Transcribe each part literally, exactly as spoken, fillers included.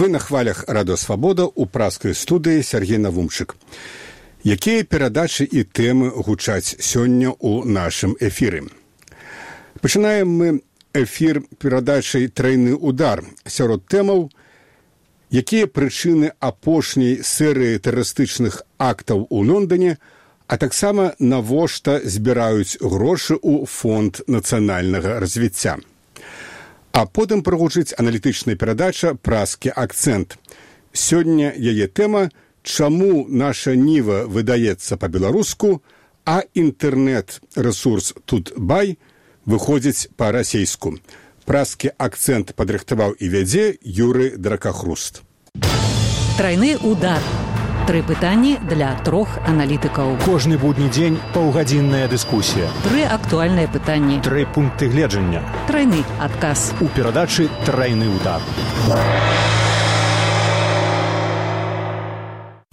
Вы на хвалях Радио Свабода ў праскай студыі Сергей Навумчык. Якія перадачы і тэмы гучаць сёння ў нашым эфіры? Пачынаем мы эфір перадачай «Трайны удар» сярод тэмаў, якія прычыны апошняй серыі тэрарыстычных актаў у Лондоне, а таксама навошта збіраюць грошы ў фонд нацыянальнага развіцця. А потым прагучыць аналітычная перадача «Праскі акцэнт». Сёння яе тэма «Чаму наша ніва выдаецца па-беларуску, а інтэрнэт-рэсурс Тутбай выходзіць па-расейску». «Праскі акцэнт» падрыхтаваў і вядзе Юры Дракахруст. Трайны удар. Тры пытанні для трох аналітыкаў. Кожны будні дзень паўгадзінная дыскусія. Тры актуальныя пытанні. Тры пункты гледжання. Трайны адказ. У перадачы «Трайны удар».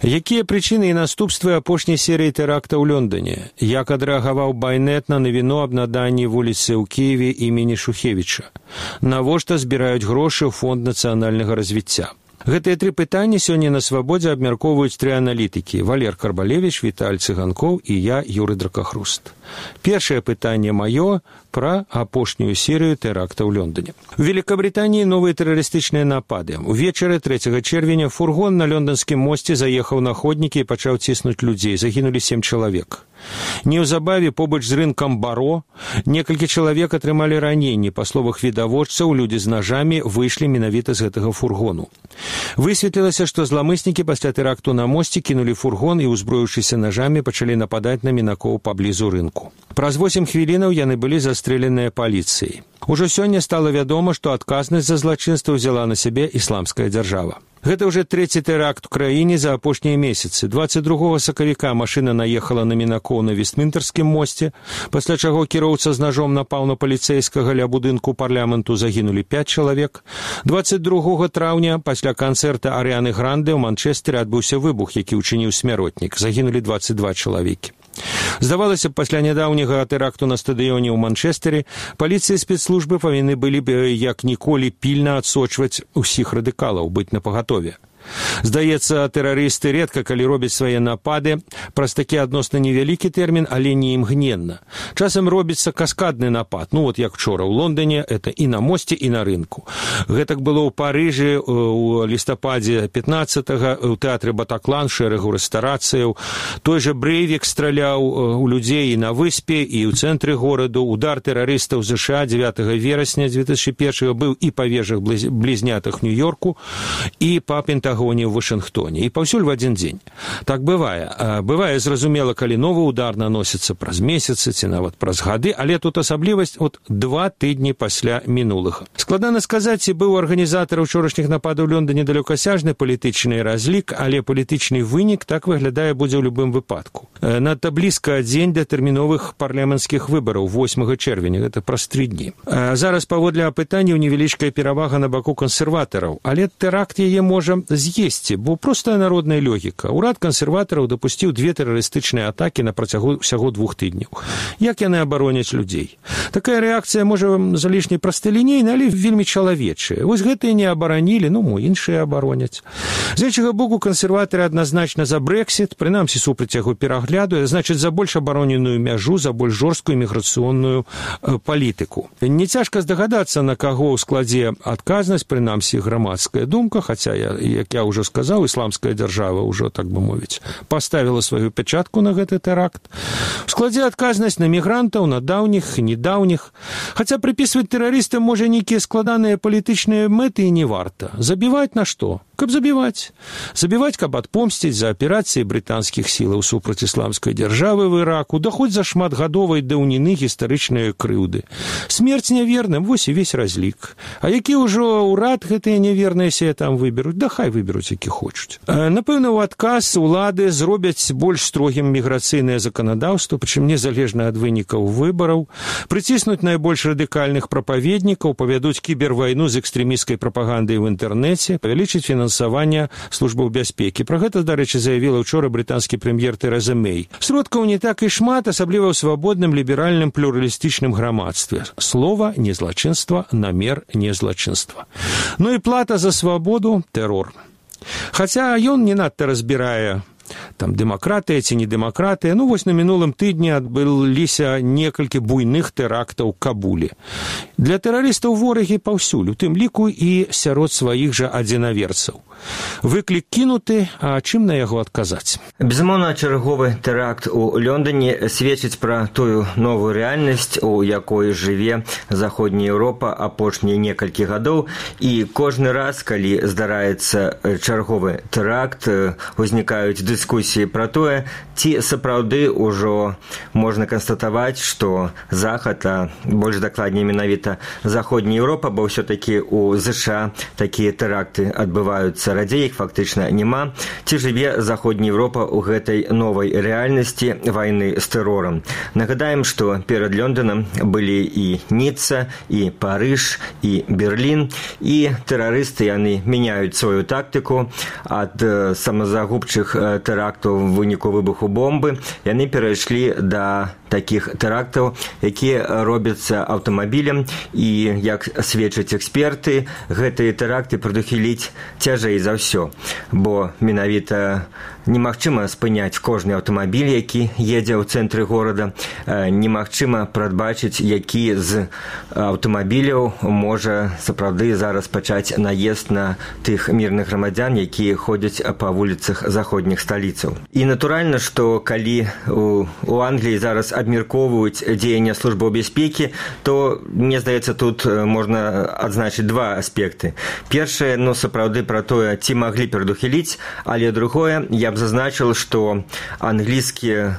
Якія прычыны і наступствы апошняй серыі тэракта ў Лондоне? Як адрэагаваў Байнет на навіну аб наданні вуліцы ў Кіеве імені Шухевіча? Навошта збіраюць грошы ў фонд нацыянальнага развіцця? Гэтыя тры пытанні сёння на Свабодзе абмяркоўваюць тры аналітыкі: Валер Карбалевіч, Віталь Цыганкоў і я, Юры Дракахруст. Першае пытанне маё пра апошнюю серыю тэракта ў Лондоне. У Великабритании новыя тэрарыстычныя напады. Увечары трэцяга чэрвеня фургон на лонданскім мосце заехаў на ходнікі і пачаў ціснуць людзей. Загінулі сем чалавек. Неўзабаве побач з рынкам Баро некалькі чалавек атрымалі раненні. Па словах відавочцаў, людзі з нажамі выйшлі менавіта з гэтага фургону. Высветлілася, што зламыснікі пасля тэракту на мосце кінулі фургон і, узброіўшыся нажамі, пачалі нападаць на мінакоў паблізу рынку. Праз восем хвілінаў яны былі застрэленыя паліцыяй. Ужо сёння стала вядома, што адказнасць за злачынства ўзяла на сябе ісламская дзяржава. Гэта ўжо трэці тэракт у краіне за апошнія месяцы. дваццаць другога сакавіка машына наехала на мінакоў на Вестмінтэрскім мосце, пасля чаго кіроўца з нажом напаў на паліцэйскага ля будынку парламенту, загінулі пяць чалавек. дваццаць другога траўня пасля канцэрта Арыяны Гранде ў Манчэстере адбыўся выбух, які ўчыніў смяротнік. Загінулі дваццаць два чалавекі. Здавалася б, пасля нядаўняга тэракту на стадыёне ў Манчэстере паліцыя і спецслужбы павінны былі б як ніколі пільна адсочваць усіх радыкалаў, быць напагатове. Здаецца, тэрарысты рэдка калі робяць свае напады праз такі адносна невялікі тэрмін, але не імгненна. Часам робіцца каскадны напад. Ну вот як вчора ў Лондоне, это і на мосце, і на рынку. Гэтак было ў Парыжы ў лістападзе пятнаццатага, у тэатры Батаклан, шэрагу рэстарацыяў. Той жа Брэйвік страляў у людзей і на выспе, і ў цэнтры гораду. Удар тэрарыстаў ЗША дзевятага верасня дзве тысячы першага быў і па вежах блізнятых Нью-Йорку, і па Пентагоне ў Вашынгтоне, і паўсюль в адзін дзень. Так бывае. Бывае, зразумела, калі новы удар наносіцца праз месяцы ці нават праз гады, але тут асаблівасць от два тыдні пасля мінулага. Складана сказаць, ці быў арганізатар учорашніх нападаў у Лондоне далёкасяжны палітычны разлік, але палітычны вынік так выглядае будзе ў любым выпадку. Надта блізка дзень да тэрміновых парламенцкіх выбараў восьмага чэрвеня, гэта праз тры дні. Зараз паводле апытанняў невялічкая перавага на баку кансерватараў, але тэракт яе можа з'есці, бо простая народная логіка. Урад кансерватараў дапусціў две тэрарыстычныя атакі на працягу ўсяго двух тыдняў. Як яны абароняць людзей? Такая рэакцыя можа залішне прасталінейна, але вельмі чалавечая. Вось гэтыя не абаранілі, ну, мо іншыя абароняць. З іншага боку, кансерватары адназначна за Брэксіт, прынамсі супраць яго перагляду, значыць, за больш абароненую мяжу, за больш жорсткую міграцыйную э, палітыку. Не цяжка здагадацца, на каго ў складзе адказнасць, прынамсі грамадская думка, хаця я, як я ўжо сказаў, ісламская дзяржава ўжо, так бы мовіць, паставіла сваю пячатку на гэты тэракт. У складзе адказнасць на мігрантаў, на даўніх, недаўніх. Хаця прыпісваць тэрарыстам можа нейкія складаныя палітычныя мэты і не варта. Забіваць на што? Каб забіваць. Забіваць, каб адпомсціць за аперацыі брытанскіх сілаў супраць ісламскай дзяржавы в Іраку, да хоць за шматгадовай даўніны гістарычныя крыўды. Смерць няверным, вось і весь разлік. А які ўжо ўрад гэтыя няверныя сея там выберуць? Да хай выберуць, які хочуць. Напэўна, у адказ улады зробяць больш строгім міграцыйнае заканадаўства, прычым незалежна ад вынікаў выбараў, прыціснуць найбольш радыкальных прапаведнікаў, павядуць кібервайну з экстрэмісцкай прапагандай ў інтэрнэце, павялічыць фінансаванне фінансавання службаў бяспекі. Пра гэта, дарэчы, заявіла ўчора брытанскі прэм'ер Тэрэза Мэй. Сродкаў не так і шмат, асабліва ў свабодным, ліберальным, плюралістычным грамадстве. Слова не злачынства, намер не злачынства. Ну і плата за свабоду – тэрор. Хаця ён не надта разбірае там дэмакратыя ці не дэмакратыя. Ну, вось на мінулым тыдні адбыліся некалькі буйных тэрактаў ў Кабуле. Для тэрарыстаў ворагі паўсюль, у тым ліку і сярод сваіх жа адзінаверцаў. Выклік кінуты, а чым на яго адказаць? Безумоўна, чарговы тэракт у Лондоне сведчыць пра тую новую рэальнасць, у якой жыве Заходняя Еўропа апошнія некалькі гадоў, і кожны раз, калі здараецца чарговы тэракт, узнікаюць дыскусіі пра тое, ці сапраўды ўжо можна канстатаваць, што Захад, а больш дакладней менавіта Заходняя Еўропа, бо ўсё-такі у ЗША такія тэракты адбываюцца радзей, іх фактычна няма, ці жыве Заходняя Еўропа ў гэтай новай рэальнасці вайны з тэрорам. Нагадаем, што перад Лондонам былі і Ніцца, і Парыж, і Берлін, і тэрарысты яны мяняюць сваю тактыку ад самазагубчых тэрактаў в выніку выбуху бомбы, яны перайшлі да такіх тэрактаў, якія робяцца аўтамабілем, і, як сведчаць эксперты, гэтыя тэракты прадухіліць цяжэй за ўсё, бо менавіта немагчыма спыняць кожны аўтамабіль, які едзе ў цэнтры горада, немагчыма прадбачыць, які з аўтамабіляў можа сапраўды зараз пачаць наезд на тых мірных грамадзян, якія ходзяць па вуліцах заходніх сталіцаў. І натуральна, што калі у, у Англіі зараз абмяркоўваюць дзеяння службаў бяспекі, то, мне здаецца, тут можна адзначыць два аспекты. Першае, ну, сапраўды пра тое, ці маглі прадухіліць, але другое, я б зазначил, што англійскія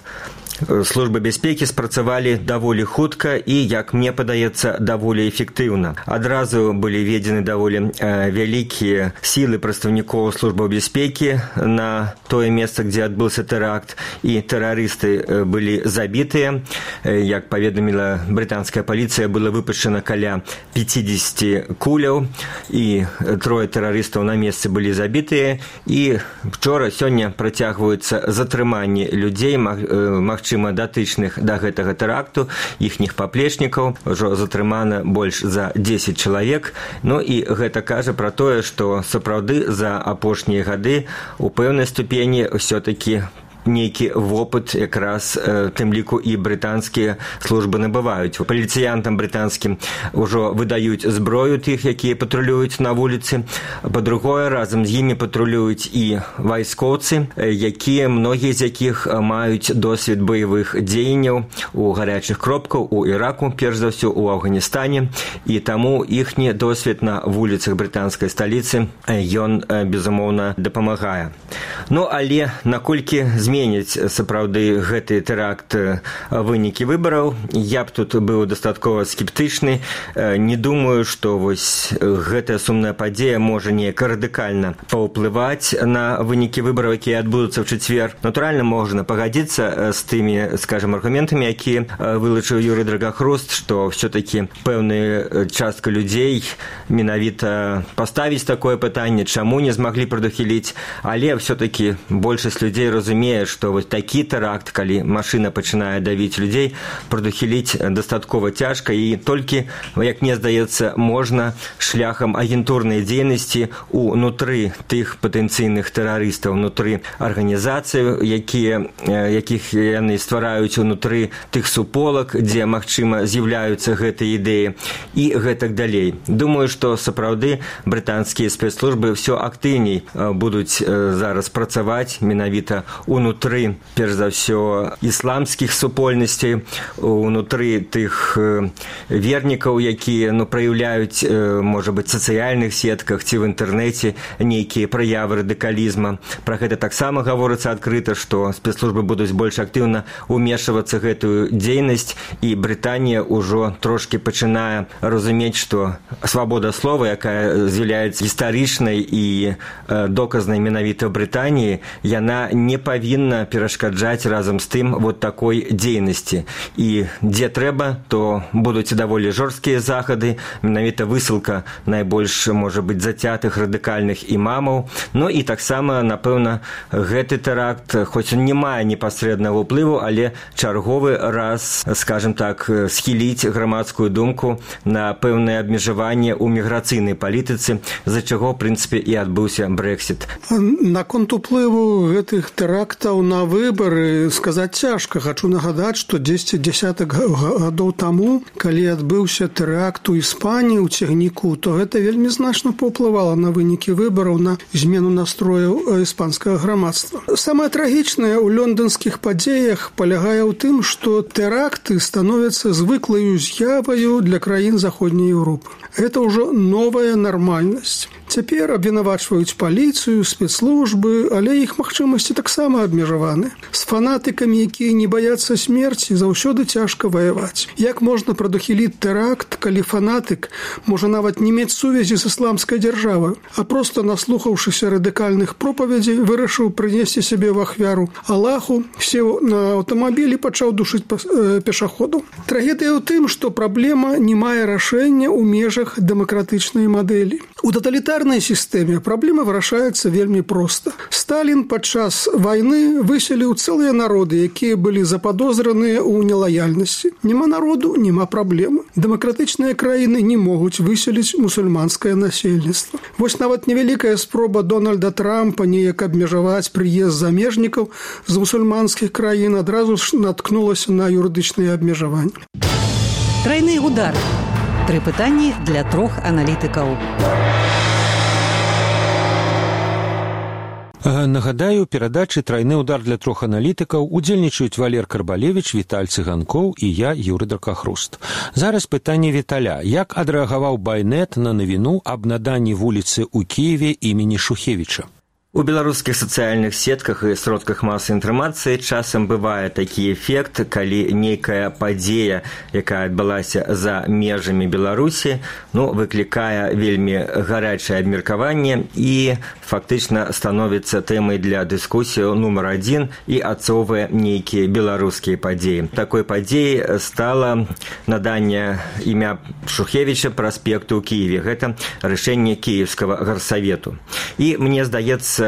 службы бяспекі спрацавалі даволі хутка і, як мне падаецца, даволі эфектыўна. Адразу былі введзены даволі э, вялікія сілы прадстаўнікоў службаў бяспекі на тое месца, дзе адбыўся тэракт, і тэрарысты э, былі забітыя. Э, як паведаміла брытанская паліцыя, было выпушчана каля пяцьдзесят куляў, і трое тэрарыстаў на месцы былі забітыя, і вчора, сёння працягваюцца затрыманні людзей, маг, э, магчыма, датычных да гэтага тэракту, іхніх паплечнікаў, ужо затрымана больш за дзесяць чалавек. Ну і гэта кажа пра тое, што сапраўды за апошнія гады у пэўнай ступені ўсё-такі нейкі вопыт якраз э, тым ліку і брытанскія службы набываюць. Паліцыянтам брытанскім ужо выдаюць зброю тых, якія патрулююць на вуліцы. Па-другое, разам з імі патрулююць і вайскоўцы, якія, многія з якіх маюць досвед баявых дзеянняў у гарячых кропках, у Іраку, перш за ўсё, у Афганістане, і таму іхні досвед на вуліцах брытанскай сталіцы, ён, безумоўна, дапамагае. Ну, але наколькі зменіць сапраўды гэты тэракт вынікі выбараў, я б тут быў дастаткова скептычны. Не думаю, што вось гэтая сумная падзея можа неяк радыкальна паўплываць на вынікі выбараў, якія адбудуцца ў чацвер. Натуральна, можна пагадзіцца з тымі, скажем, аргументамі, якія вылучыў Юрый Драгахрост, што ўсё-такі пэўная частка людзей менавіта паставіць такое пытанне, чаму не змаглі прадухіліць, але ўсё-такі большасць людзей разумее, што вось такі тэракт, калі машына пачынае давіць людзей, прадухіліць дастаткова цяжка, і толькі, як мне здаецца, можна шляхам агентурнай дзейнасці унутры тых патэнцыйных тэрарыстаў, унутры арганізацый, якія, якіх яны ствараюць унутры тых суполак, дзе, магчыма, з'яўляюцца гэтыя ідэі, і гэтак далей. Думаю, што сапраўды брытанскія спецслужбы ўсё актыўней будуць зараз працаваць менавіта унутры, перш за ўсё, ісламскіх супольнасцей, унутры тых вернікаў, якія, ну, праяўляюць, можа быць, сацыяльных сетках ці в інтэрнэце нейкія праявы радыкалізма. Пра гэта таксама гаворыцца адкрыта, што спецслужбы будуць больш актыўна ўмешвацца гэтую дзейнасць, і Брытанія ўжо трошкі пачынае разумець, што свабода слова, якая з'яўляецца гістарычнай і доказнай менавіта ў Брытаніі, яна не павінна павінна перашкаджаць разам з тым вот такой дзейнасці. І дзе трэба, то будуць даволі жорсткія захады, менавіта высылка найбольш, можа быць, зацятых радыкальных імамаў. Ну і таксама, напэўна, гэты тэракт, хоць он не мае непасрэднага ўплыву, але чарговы раз, скажем так, схіліць грамадскую думку на пэўнае абмежаванне ў міграцыйнай палітыцы, за чаго, в прынцыпе, і адбыўся Брэксіт. Наконт уплыву гэтых тэрактаў на выбары сказаць цяжка. Хачу нагадаць, што дзесяць дзясятак гадоў таму, калі адбыўся тэракт у Іспаніі ў цягніку, то гэта вельмі значна паўплывала на вынікі выбараў, на змену настрояў іспанскага грамадства. Самае трагічнае ў лёндонскіх падзеях палягае ў тым, што тэракты становяцца звыклаю з'яваю для краін Заходняй Еўропы. Гэта ўжо новая нармальнасць. Цяпер абвінавачваюць паліцыю, спецслужбы, але іх магчымасці таксама абмежаваны. З фанатыкамі, якія не баяцца смерці, заўсёды цяжка ваяваць. Як можна прадухіліць тэракт, калі фанатык можа нават не мець сувязі з ісламскай дзяржавай, а проста, наслухаўшыся радыкальных пропаведзей, вырашыў прынесці сябе в ахвяру Аллаху, сеў на аўтамабіль і пачаў душыць пешаходаў. Трагедыя ў тым, што праблема не мае рашэння ў межах дэмакратычнай мадэлі. У таталітарнай сістэме праблема вырашаецца вельмі проста. Сталін падчас вайны выселіў цэлыя народы, якія былі западозраныя ў нелаяльнасці. Нема народу, нема праблемы. Дэмакратычныя краіны не могуць выселіць мусульманскае насельніцтва. Вось нават невялікая спроба Дональда Трампа неяк абмежаваць прыезд замежнікаў з мусульманскіх краін адразу ж наткнулася на юрыдычныя абмежаванні. Трайны удар. Тры пытанні для трох аналітыкаў. Нагадаю, у перадачы «Трайны удар» для трох аналітыкаў удзельнічаюць Валер Карбалевіч, Віталь Цыганкоў і я, Юры Дракахруст. Зараз пытанне Віталя. Як адрэагаваў Байнет на навіну аб наданні вуліцы ў Кіеве імені Шухевіча? У беларускіх сацыяльных сетках і сродках масавай інфармацыі часам бывае такі эфект, калі нейкая падзея, якая адбылася за межамі Беларусі, ну, выклікае вельмі гарячае абмеркаванне і фактычна становіцца тэмай для дыскусіі нумар адзін і адцоўвае нейкія беларускія падзеі. Такой падзеяй стала наданне імя Шухевіча праспекту ў Кіеве. Гэта рашэнне Кіевскага гарсавету. І мне здаецца,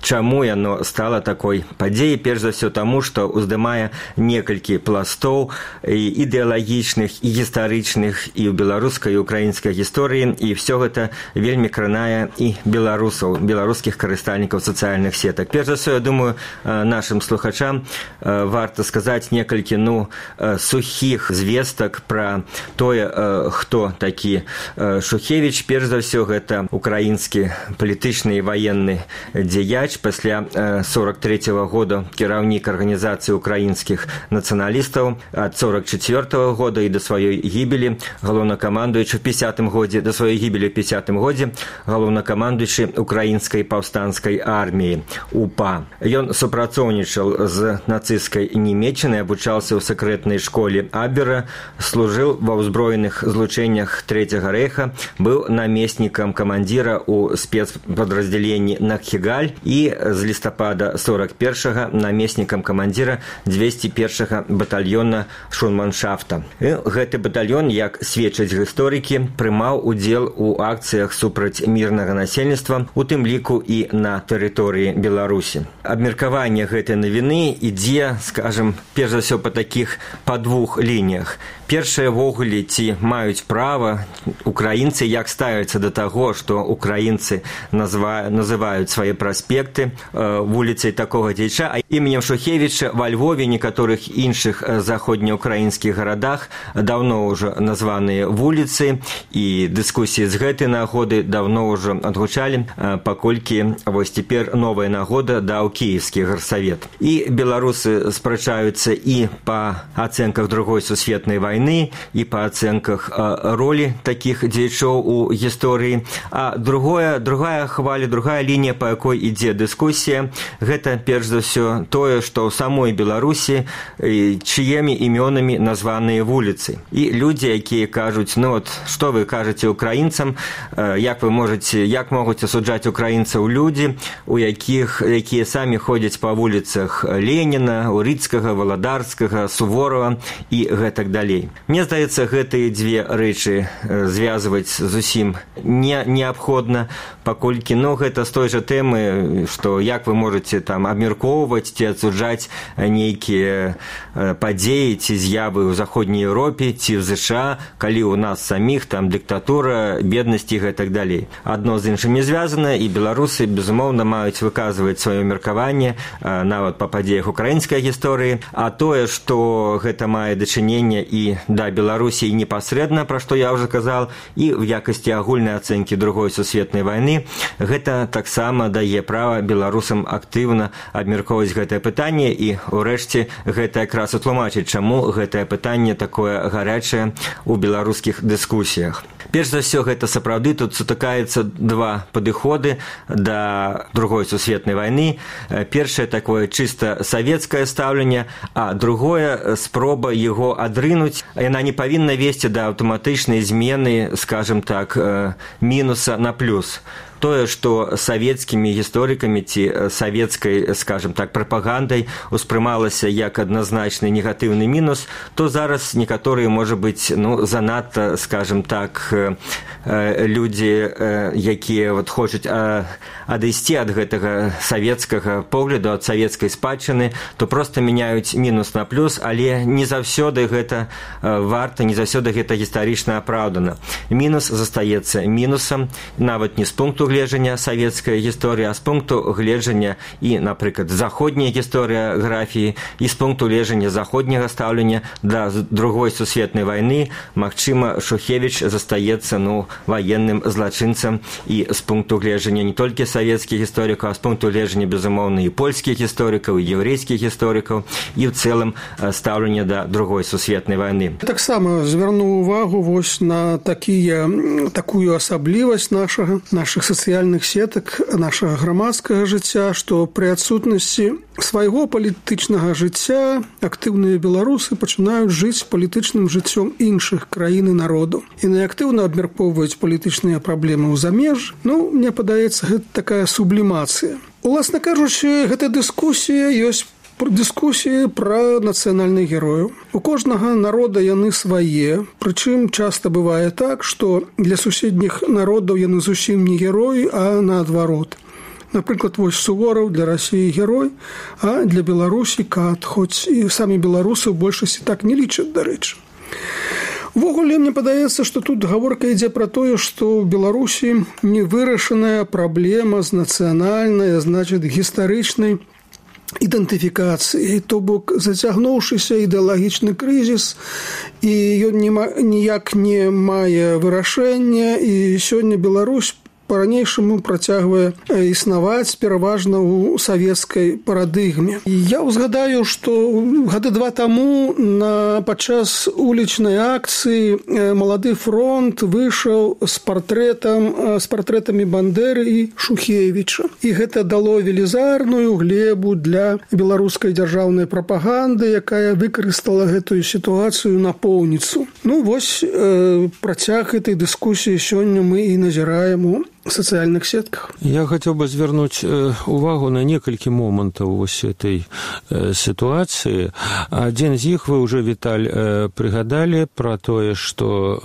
чаму яно стала такой падзеяй? Перш за ўсё таму, што уздымае некалькі пластоў ідэалагічных і гістарычных і ў беларускай і украінскай гісторыі, і ўсё гэта вельмі кранае і беларусаў, беларускіх карыстальнікаў сацыяльных сетак. Перш за ўсё, я думаю, нашым слухачам варта сказаць некалькі, ну, сухіх звестак пра тое, хто такі Шухевіч. Перш за ўсё, гэта украінскі палітычны і ваенны дзеяч, пасля сорок трэцяга года кіраўнік арганізацыі украінскіх нацыяналістаў, ад сорок чацвёртага года і да сваёй гібелі галоўнакамандуючы ў пяцідзесятым годзе, да сваёй гібелі ў пяцідзесятым годзе галоўнакамандуючы украінскай паўстанцкай арміі УПА. Ён супрацоўнічаў з нацысцкай Нямецчынай, абучаўся ў сакрэтнай школе Абвера, служыў ва ўзброеных злучэннях Трэцяга рэйха, быў намеснікам камандзіра ў спецпадраздзяленні Нахчыгаль і з лістапада сорок першага намеснікам камандзіра дзвесце першага батальёна шурманшафта. І гэты батальён, як сведчаць гісторыкі, прымаў удзел у акцыях супраць мірнага насельніцтва, у тым ліку і на тэрыторыі Беларусі. Абмеркаванне гэтай навіны ідзе, скажам, перш за ўсё па такіх па двух лініях. Першае, ввогуле, ці маюць права украінцы, як ставяцца да таго, што украінцы называюць свае праспекты вуліцай такога дзеяча, а іменем Шухевіча ва Львове, некаторых іншых заходнеукраінскіх гарадах даўно ўжо названыя вуліцы, і дыскусіі з гэтай нагоды даўно ўжо адгучалі, паколькі вось цяпер новая нагода даў Кіевскі гарсавет. І беларусы спрачаюцца і па ацэнках другой сусветнай вайны, і па ацэнках ролі такіх дзеячоў у гісторыі. А другое, другая хваля, другая лінія, па якой ідзе дыскусія, гэта перш за ўсё тое, што ў самой Беларусі чыімі імёнамі названыя вуліцы. І людзі, якія кажуць, ну от, што вы кажаце украінцам, як вы можаце, як могуць асуджаць украінцаў людзі, у якіх, якія самі ходзяць па вуліцах Леніна, Урыцкага, Валадарскага, Суворова і гэтак далей. Мне здаецца, гэтыя дзве рэчы звязваць зусім не неабходна, паколькі, ну, гэта з той жа тэмы, што як вы можаце там абмяркоўваць ці адсуджаць нейкія падзеі ці з'явы ў заходняй Еўропе ці в ЗША, калі ў нас саміх там дыктатура, беднасць і гэтак далей. Адно з іншым не звязана, і беларусы, безумоўна, маюць выказваць сваё меркаванне нават па падзеях украінскай гісторыі, а тое, што гэта мае дачыненне і да Беларусі непасрэдна, пра што я ўжо казал, і в якасці агульнай ацэнкі другой сусветнай вайны, гэта таксама дае права беларусам актыўна абмяркоўваць гэтае пытанне, і ўрэшце гэта якраз утлумачыць, чаму гэтае пытанне такое гарячае ў беларускіх дыскусіях. Перш за ўсё, гэта сапраўды тут сутыкаецца два падыходы да другой сусветнай вайны. Першае такое чыста савецкае стаўленне, а другое спроба яго адрынуць. Яна не павінна весці да аўтаматычнай змены, скажем так, мінуса на плюс. Тое, што савецкімі гісторыкамі ці савецкай, скажем так, прапагандай успрымалася як адназначны негатыўны мінус, то зараз некаторыя, можа быць, ну, занадта, скажем так, людзі, якія вот хочуць адысці ад гэтага савецкага погляду, ад савецкай спадчыны, то проста мяняюць мінус на плюс, але не заўсёды гэта варта, не заўсёды гэта гістарычна апраўдана. Мінус застаецца мінусам, нават не з пункту гледжання савецкай гісторыі, а з пункту гледжання і, напрыклад, заходняй гісторыяграфіі, і з пункту гледжання заходняга стаўлення да другой сусветнай вайны, магчыма, Шухевіч застаецца, ну, ваенным злачынцам, і з пункту гледжання не толькі савецкіх гісторыкаў, а з пункту гледжання, безумоўна, і польскіх гісторыкаў, і еўрэйскіх гісторыкаў, і ў цэлым стаўлення да другой сусветнай вайны. Таксама звярну увагу вось на такія, такую асаблівасць нашага, нашых сацыяльных сетак, нашага грамадскага жыцця, што пры адсутнасці свайго палітычнага жыцця актыўныя беларусы пачынаюць жыць палітычным жыццём іншых краін і народу. І неактыўна абмяркоўваюць палітычныя праблемы ў замеж. Ну, мне падаецца, гэта такая сублімацыя. Уласна кажучы, гэта дыскусія ёсць дыскусіі пра нацыянальных герояў. У кожнага народа яны свае, прычым часта бывае так, што для суседніх народаў яны зусім не героі, а наадварот. Напрыклад, вось Сувораў для Расіі герой, а для Беларусі кат, хоць і самі беларусы ў большасці так не лічаць, дарэчы. Увогуле, мне падаецца, што тут гаворка ідзе пра тое, што ў Беларусі невырашаная праблема з нацыянальнай, значыць, гістарычнай ідэнтыфікацыі, то бок зацягнуўшыся ідэалагічны крызіс, і ён ніяк не мае вырашэння, і сёння Беларусь па-ранейшаму працягвае існаваць пераважна ў савецкай парадыгме. І я ўзгадаю, што гады два таму на падчас улічнай акцыі Малады фронт выйшаў з партрэтам, з партрэтамі Бандеры і Шухевіча. І гэта дало велізарную глебу для беларускай дзяржаўнай прапаганды, якая выкарыстала гэтую сітуацыю напоўніцу. Ну, вось э, працяг гэтай дыскусіі сёння мы і назіраем у социальных сетках. Я хотел бы звярнуць увагу на некалькі момантаў вось этой сітуацыі. Адзін з іх вы ўжо, Віталь, прыгадалі пра тое, што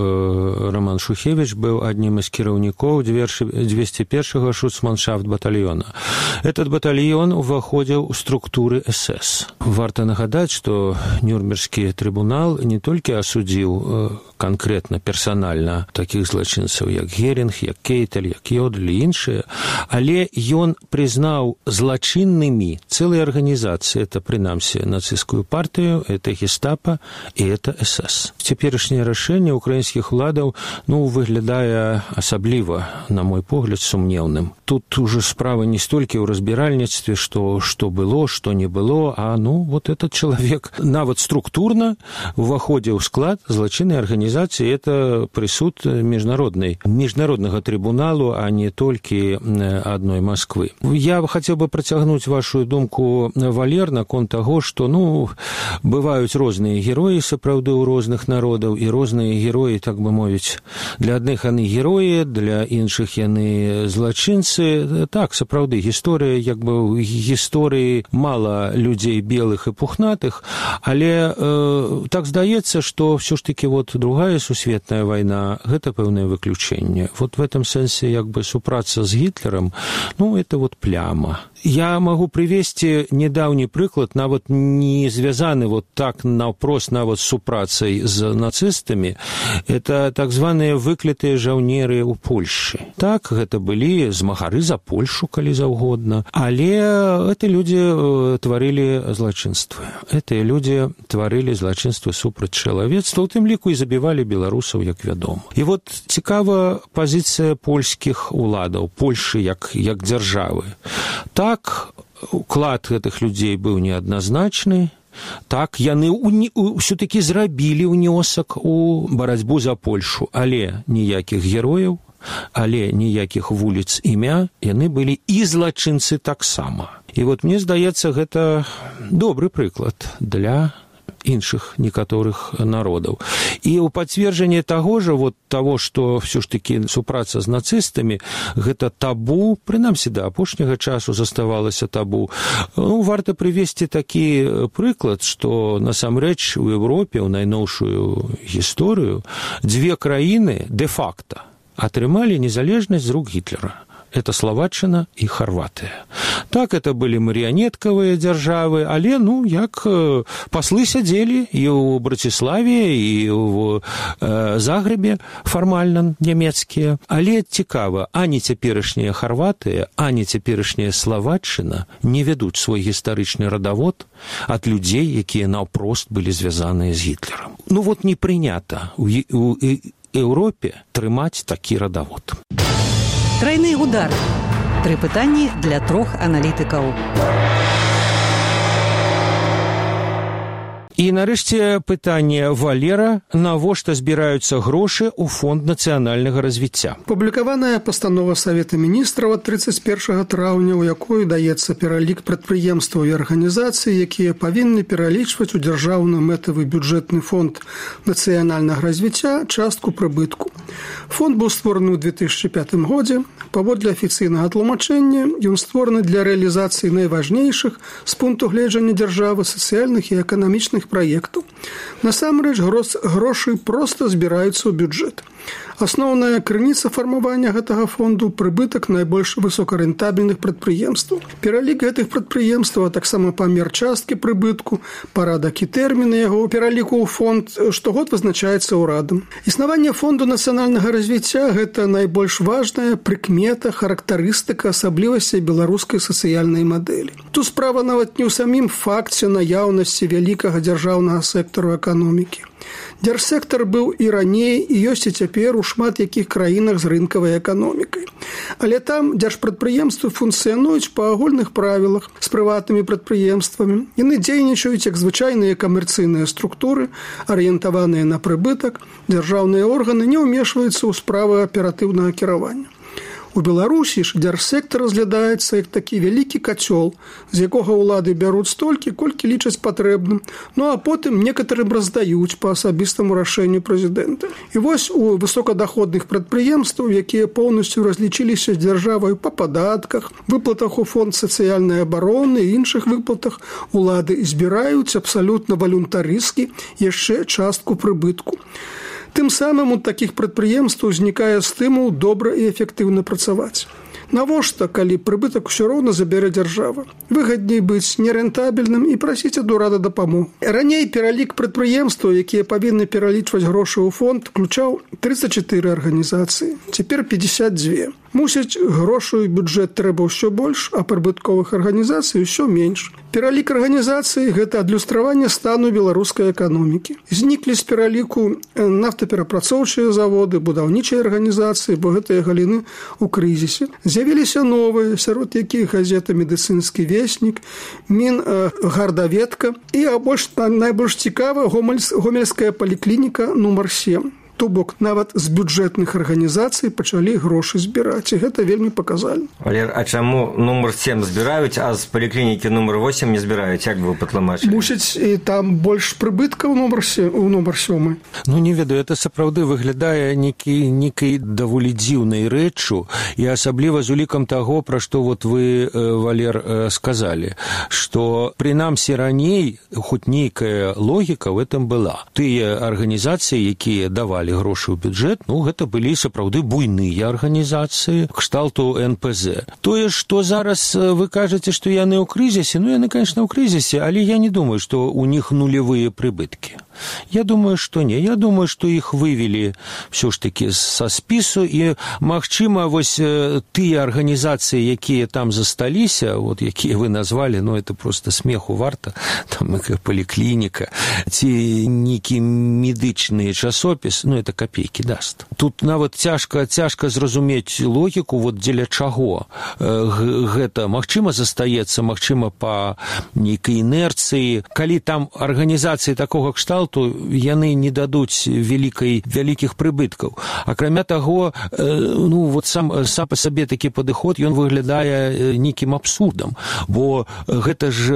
Роман Шухевич быў аднім з кіраўнікоў двести першага шуцманшафт батальона. Этот батальон уваходзіў у структуры эс эс. Варта нагадаць, што Нюрнбергскі трыбунал не толькі асудзіў канкрэтна, персанальна такіх злачынцаў, як Герінг, як Кейтель, як Йодль і іншыя, але ён прызнаў злачыннымі цэлыя арганізацыі, это, прынамсі, нацысцкую партыю, это гестапа і это эс эс. Цяперашняе рашэнне украінскіх уладаў, ну, выглядае асабліва, на мой погляд, сумнеўным. Тут уже справа не столькі ў разбіральніцтве, што, што было, што не было, а, ну, вот этот чалавек нават структурна уваходзіў у склад злачыннай арганізацыі, это прысуд міжнароднай, міжнароднага трыбуналу а не толькі адной Москвы. Я хацеў бы працягнуць вашу думку, Валер, наконт таго, што ну бываюць розныя героі сапраўды ў розных народаў, і розныя героі, так бы мовіць, для адных яны героі, для іншых яны злачынцы. Так, сапраўды, гісторыя, як бы ў гісторыі мала людзей белых і пухнатых, але э, так здаецца, што ўсё ж такі вот другая сусветная вайна гэта пэўнае выключэнне. Вот в этом сэнсе як бы супраца з Гітлерам, ну это вот пляма. Я могу привести недавний прыклад, нават не звязаны вот так наўпрост нават с супрацай з нацыстамі. Это так званыя выклятыя жаўнеры ў Польшы. Так, гэта былі змагары за Польшу, калі заўгодна, але эти люди тварылі злачынствы. Этыя люди тварылі злачынствы супраць чалавецтва, у тым ліку і забівалі беларусаў, як вядома. І вот цікава пазіцыя польскіх уладаў, Польшы як, як дзяржавы. Так, уклад гэтых людзей быў неадназначны, так, яны ўсё-такі зрабілі ўнёсак у барацьбу за Польшу, але ніякіх герояў, але ніякіх вуліц імя, яны былі і злачынцы таксама. І вот мне здаецца, гэта добры прыклад для іншых некаторых народаў. І ў пацверджанне таго ж, вот таго, што ўсё ж такі супраца з нацыстамі, гэта табу, прынамсі да апошняга часу заставалася табу. Ну, варта прывесці такі прыклад, што насамрэч у Еўропе ў найноўшую гісторыю дзве краіны дэ-факта атрымалі незалежнасць з рук Гітлера. Это Словаччына і Харватыя. Так, это былі марыянеткавыя дзяржавы, але, ну, як паслы сядзелі і ў Браціславе, і ў э, Загрэбе фармальна нямецкія. Але цікава, ані цяперашняя Харватыя, ані цяперашняя Словаччына не вядуць свой гістарычны радавод ад людзей, якія наўпрост былі звязаныя з Гітлерам. Ну, вот не прынята ў, у Еўропе трымаць такі радавод. Тройны удар. Тры пытанні для трох аналітыкаў. І нарэшце пытанне Валера, навошта збіраюцца грошы ў фонд нацыянальнага развіцця. Публікаваная пастанова Савета міністраў ад трыццаць першага траўня, у якой даецца пералік прадпрыемстваў і арганізацый, якія павінны пералічваць у дзяржаўны мэтавы бюджэтны фонд нацыянальнага развіцця частку прыбытку. Фонд быў створаны ў две тысячы пятым годзе. Паводле афіцыйнага тлумачэння, ён створаны для рэалізацыі найважнейшых з пункту гледжання дзяржавы сацыяльных і эканамічных праектаў. Насамрэч, грошы проста збіраюцца ў бюджэт. Асноўная крыніца фармавання гэтага фонду – прыбытак найбольш высокарэнтабельных прадпрыемстваў. Пералік гэтых прадпрыемстваў, а таксама памер часткі прыбытку, парадак і тэрміны яго пераліку ў фонд штогод вызначаецца ўрадам. Існаванне фонду нацыянальнага развіцця – гэта найбольш важная прыкмета, характарыстыка асаблівасцей беларускай сацыяльнай мадэлі. Тут справа нават не ў самім факце наяўнасці вялікага дзяржаўнага сектару эканомікі. Дзяржсектар быў і раней, і ёсць і цяпер у шмат якіх краінах з рынкавай эканомікай. Але там дзяржпрадпрыемствы функцыянуюць па агульных правілах з прыватнымі прадпрыемствамі. Яны дзейнічаюць як звычайныя камерцыйныя структуры, арыентаваныя на прыбытак. Дзяржаўныя органы не ўмешваюцца ў справы аператыўнага кіравання. У Беларусі ж дзяржсектар разглядаецца як такі вялікі кацёл, з якога ўлады бяруць столькі, колькі лічаць патрэбным, ну а потым некаторым раздаюць па асабістаму рашэнню прэзідэнта. І вось у высокадаходных прадпрыемстваў, якія поўнасцю разлічыліся з дзяржавай па падатках, выплатах у фонд сацыяльнай абароны і іншых выплатах, улады збіраюць абсалютна валюнтарыскі яшчэ частку прыбытку. Тым самым у такіх прадпрыемстваў узнікае стымул добра і эфектыўна працаваць. Навошта, калі прыбытак усё роўна забярэ дзяржава? Выгадней быць нерэнтабельным і прасіць ад урада дапамогу. Раней пералік прадпрыемстваў, якія павінны пералічваць грошы ў фонд, включаў трыццаць чатыры арганізацыі, цяпер пятьдесят два. Мусіць, грошую бюджэт трэба ўсё больш, а прыбытковых арганізацый ўсё менш. Пералік арганізацыі – гэта адлюстраванне стану беларускай эканомікі. Зніклі з пераліку нафтаперапрацоўчыя заводы, будаўнічыя арганізацыі, бо гэтыя галіны ў крызісе. З'явіліся новыя, сярод якіх газета «Медыцынскі веснік», «Мінгардаведка» і, а больш, найбольш цікава, гомельская паліклініка нумар сем. То бок нават з бюджэтных арганізацый пачалі грошы збіраць, і гэта вельмі паказальна. Валер, а чаму нумар сем збіраюць, а з паліклінікі нумар восем не збіраюць? Як бы вы патлумачылі? Мусіць, і там больш прыбыткаў у нумар сёмы. Ну, не ведаю, это сапраўды выглядае нейкі, нейкай даволі дзіўнай рэччу, і асабліва з улікам таго, пра што вот вы, Валер, сказалі, што прынамсі раней хоць нейкая логіка в этом была. Тыя арганізацыі, якія давалі грошы ў бюджэт, ну, гэта былі сапраўды буйныя арганізацыі кшталту эн пэ зэ. Тое, што зараз вы кажаце, што яны ў крызісе, ну, яны, конечно, ў крызісе, але я не думаю, што у них нулевыя прыбыткі. Я думаю, што не. Я думаю, што іх вывели все ж таки са спісу, і, магчыма, вось тыя арганізацыі, якія там засталіся, вот, якія вы назвалі, ну, это просто смеху варта, там, паліклініка, ці нейкі медычны часопіс, ну, это копейкі даст. Тут нават цяжка, цяжка зразумець логіку, вот дзеля чаго гэта, магчыма, застаецца, магчыма, па нейкай інерцыі. Калі там арганізацыі такога кшталту, то яны не дадуць вялікай, вялікіх прыбыткаў. Акрамя таго, ну, вот сам, сам па сабе такі падыход, ён выглядае нейкім абсурдам, бо гэта ж,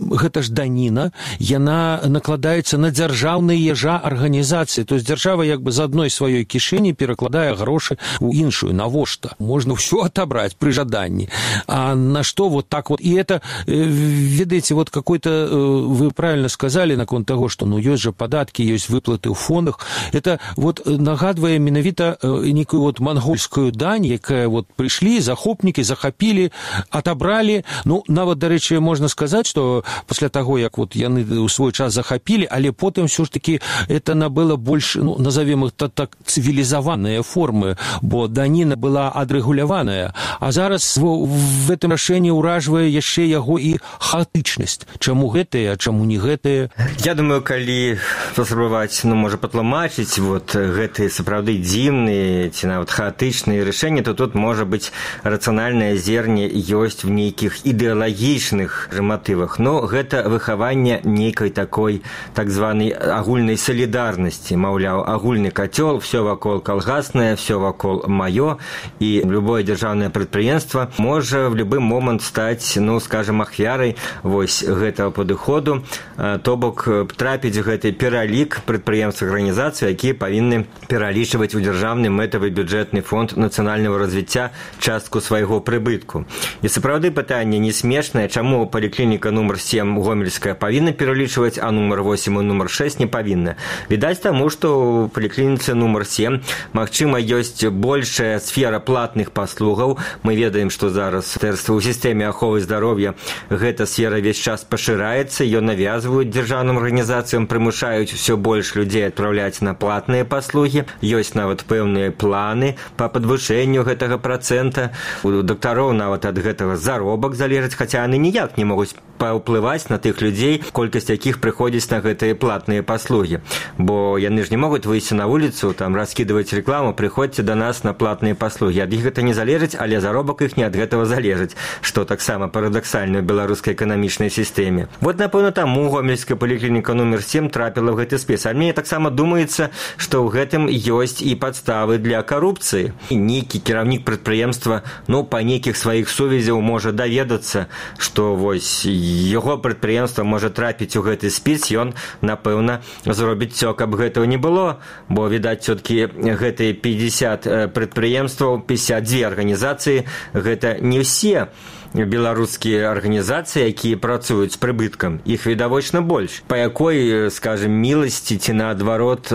гэта ж даніна, яна накладаецца на дзяржаўныя жа арганізацыі, то есть дзяржава як бы з адной сваёй кішэні перакладае грошы ў іншую. Навошта? Можна ўсё отобрать пры жаданні. А на што вот так вот? И это, ведаеце, вот какой-то, вы правильно сказали наконт таго, што ну ёсць жа падаткі, ёсць выплаты ў фондах. Это вот нагадвае менавіта некую вот мангольскую дань, якая вот прыйшлі захопнікі, захапілі, отобралі. Ну, нават, дарэчы, можна сказаць, што пасля таго, як вот яны ў свой час захапілі, але потым ўсё ж таки это набыло больш, ну, назовем их так, так цивилизованные формы, бо даніна была адрэгуляваная. А зараз в, в этом рашэнні ўражвае яшчэ яго і хаатычнасць. Чаму гэтае, а чаму не гэтае? Я думаю, калі паспрабаваць, ну, можа, патлумачыць вот гэтыя сапраўды дзіўныя ці нават хаатычныя рашэнні, то тут можа быць рацыянальнае зерне ёсць в нейкіх ідэалагічных матывах. Но гэта выхаванне нейкай такой так званай агульнай салідарнасці. Маўляў, агульны кацёл, всё вакол калгаснае, всё вакол маё, і любое дзяржаўнае прадпрыемства можа в любы момант стаць, ну, скажем, ахвярай вось гэтага падыходу, то бок трапіць гэты пералік прадпрыемств арганізацый, якія павінны пералічваць у дзяржаўны мэтавы бюджэтны фонд нацыянальнага развіцця частку свайго прыбытку. І сапраўды пытанне не смешнае, чаму паліклініка нумар сем гомельская павінна пералічваць, а нумар восем і нумар шэсць не павінна. Відаць таму, што ў паліклініцы нумар сем, магчыма, ёсць большая сфера платных паслугаў. Мы ведаем, што зараз ў сістэме аховы здароўя гэта сфера весь час пашыраецца, ее навязваюць дзяржаўным арганізацыям, прымушаюць усё больш людзей адпраўляць на платныя паслугі. Ёсць нават пэўныя планы па падвышэнню гэтага працэнта. У дактароў нават ад гэтага заробак залежыць, хаця яны ніяк не могуць паўплываць на тых людзей, колькасць якіх прыходзіць на гэтыя платныя паслугі. Бо яны ж не могуць выйсці на вуліцу, там раскідваць рэкламу, прыходзьце да нас на платныя паслугі. Ад іх гэта не залежыць, але заробак іх не ад гэтага залежыць, што таксама парадаксальна ў беларускай эканамічнай сістэме. Вот, напэўна, таму гомельская паліклініка нумар сем трапіла в гэты спіс. А мне таксама думаецца, што ў гэтым ёсць і падставы для карупцыі. І нейкі кіраўнік прадпрыемства, ну, па нейкіх сваіх сувязяў можа даведацца, што вось яго прадпрыемства можа трапіць у гэты спіс, ён, напэўна, зробіць всё, каб гэтага не было, бо, відаць, все-таки гэтыя пятьдесят прадпрыемстваў, пятьдесят две арганізацыі, гэта не ўсе беларускія арганізацыі, якія працуюць з прыбыткам, іх відавочна больш. Па якой, скажем, міласці ці наадварот,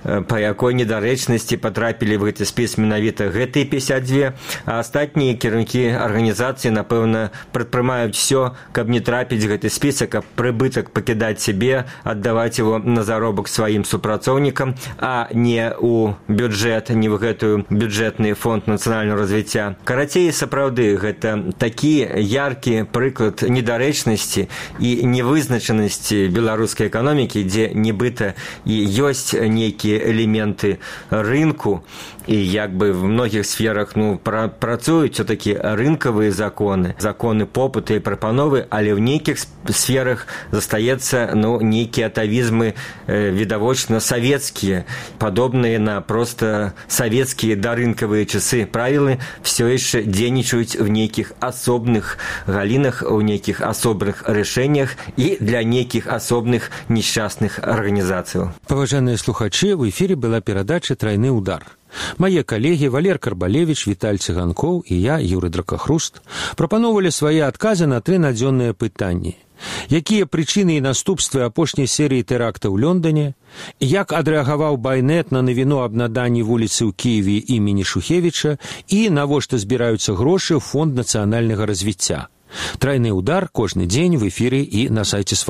па якой недарэчнасці патрапілі в гэты спіс менавіта гэтыя пятьдесят две, а астатнія кіраўнікі арганізацыі, напэўна, прадпрымаюць всё, каб не трапіць гэты спісак, каб прыбытак пакідаць сябе, аддаваць его на заробак сваім супрацоўнікам, а не ў бюджэт, не ў гэтую бюджэтны фонд нацыянальнага развіцця. Карацей, сапраўды, гэта такі яркі прыклад недарэчнасці і невызначанасці беларускай эканомікі, дзе нібыта і ёсць нейкія элементы рынку, і як бы в многіх сферах ну, пра працуюць все-таки рынкавыя законы, законы попыта і прапановы, але в нейкіх сферах застаецца ну, нейкія атавізмы э, відавочна савецкія, падобныя на просто савецкія дарынкавыя часы. Правілы все яшчэ дзейнічаюць в нейкіх асобных галінах, у нейкіх асобных рашэннях і для нейкіх асобных несчастных арганізацыяў. Паважаныя слухачы, в эфире была перадача «Трайны удар». Мае калегі Валер Карбалевич, Віталь Цыганкоў і я, Юрый Дракахруст, прапаноўвалі свае адказы на тры надзённыя пытанні. Якія прычыны і наступствы апошняй серыі тэракта ў Лондоне? Як адрэагаваў Байнет на навіну аб наданні вуліцы ў Кіеве імені Шухевіча? І навошта збіраюцца грошы ў Фонд нацыянальнага развіцця? Трайны удар кожны дзень в эфіры і на сайце